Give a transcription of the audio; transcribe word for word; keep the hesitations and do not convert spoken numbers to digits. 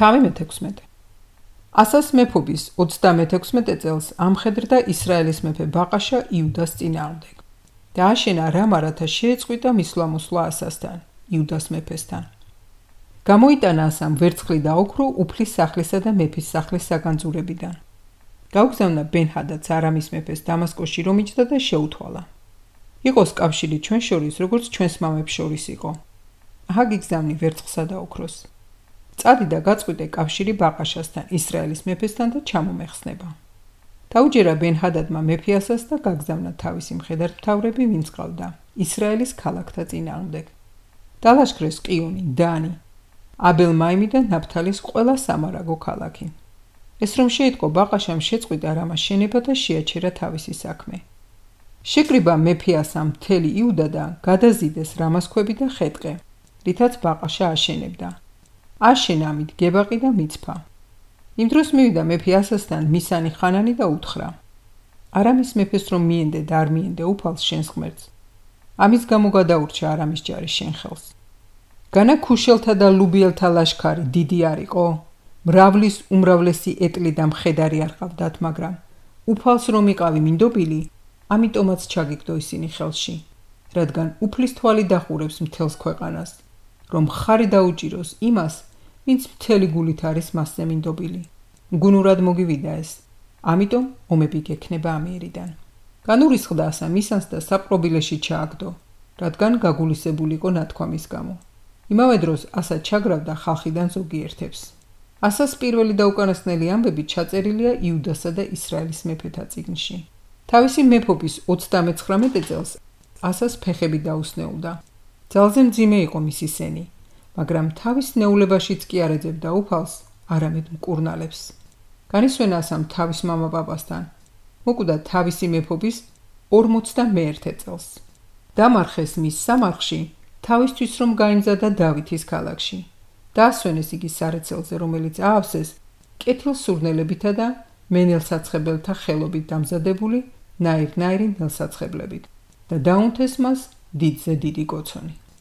თავი მეთექვსმეტე. ასას მეფობის ოცდამეთექვსმეტე წელს ამხედრდა ისრაელის მეფე ბაყაშა იუდას წინააღმდეგ და აშენა რამ არათა შეეწყვიტა მისვლა მოსვლა ასასთან, იუდას მეფესთან. გამოიტანა ასამ ვერცხლი და ოქრო უფლის სახლისა და მეფის სახლის საგანძურებიდან. გაუგზავნა ბენ-ჰადადს არამის მეფეს დამასკოში რომ იჯდა და შეუთვალა. იყოს კავშირი ჩვენ შორის, როგორც ჩვენს მამებს შორის იყო. აჰა გიგზავნი ვერცხლსა და ოქროს. წადი და გაწყვიტე კავშირი ბაყაშასთან, ისრაელის მეფესთან და ჩამომეხსნება. დაუჯერა ბენ-ჰადადმა მეფე ასას და გაგზავნა თავისი მხედართმთავრები, ვინც ყავდა ისრაელის ქალაქთა წინააღმდეგ. დალაშქრეს ყიონი, დანი, აბელ-მაიმი და ნაფთალის ყველა სამარაგო ქალაქი. ეს რომ შეიტყო ბაყაშამ შეწყვიტა რამას შენება და შეაჩერა თავისი საქმე. შეკრიბა მეფე ასამ მთელი იუდა და გადაზიდეს რამას ქვები და ხეტყე, რითაც ბაყაშა აშენებდა. აშენა ამით გებაყი და მიცფა. იმ დროს მივიდა მეფე ასასთან მისანი ხანანი და უთხრა: არამის მეფეს რომ მიენდე და არ მიენდე უფალს შენს ღმერთს, ამის გამო გადაურჩა არამის ჯარი შენ ხელს. განა ქუშელთა და ლუბიელთა ლაშქარი დიდი არ იყო? მრავლის უმრავლესი ეტლი და მხედარი არ ყავდათ, მაგრამ უფალს რომ იყავი მინდობილი, ამიტომაც ჩაგიგდო ისინი ხელში, რადგან უფლის თვალი დახურებს მთელს ქვეყანას, რომ ხარი დაუჭიროს იმას, ვინც მთელი გულით არის მასზე მინდობილი. გუნურად მოგივიდა ეს, ამიტომ ომები გექნება ამიერიდან. განურისხდა ასა მისანს და საპყრობილეში ჩააგდო, რადგან გაგულისებული იყო ნათქვამის გამო. იმავე დროს ასა ჩაგრავდა ხალხიდან ზოგიერთებს. ასას პირველი და უკანასკნელი ამბები ჩაწერილია იუდასა და ისრაელის მეფეთა წიგნში. თავისი მეფობის ოცდამეცხრამეტე წელს ასას ფეხები დაუსნეულდა. ძალზე მძიმე იყო მისი სენი, მაგრამ თავის ნეულებაშიც კი არ ეძებდა უფალს, არამედ მკურნალებს. განისვენა ასამ თავის მამა პაპასთან, მოკვდა თავისი მეფობის ორმოცდამეერთე წელს. დამარხეს მის სამარხში, თავისთვის რომ გაიმზადა დავითის ქალაქში. დაასვენეს იგი სარეცელზე, რომელიც აავსეს კეთილსურნელებითა და მენელსაცხებელთა ხელობით დამზადებული ნაირ-ნაირი ნელსაცხებლებით და დაუნთეს მას დიდზე დიდი კოცონი.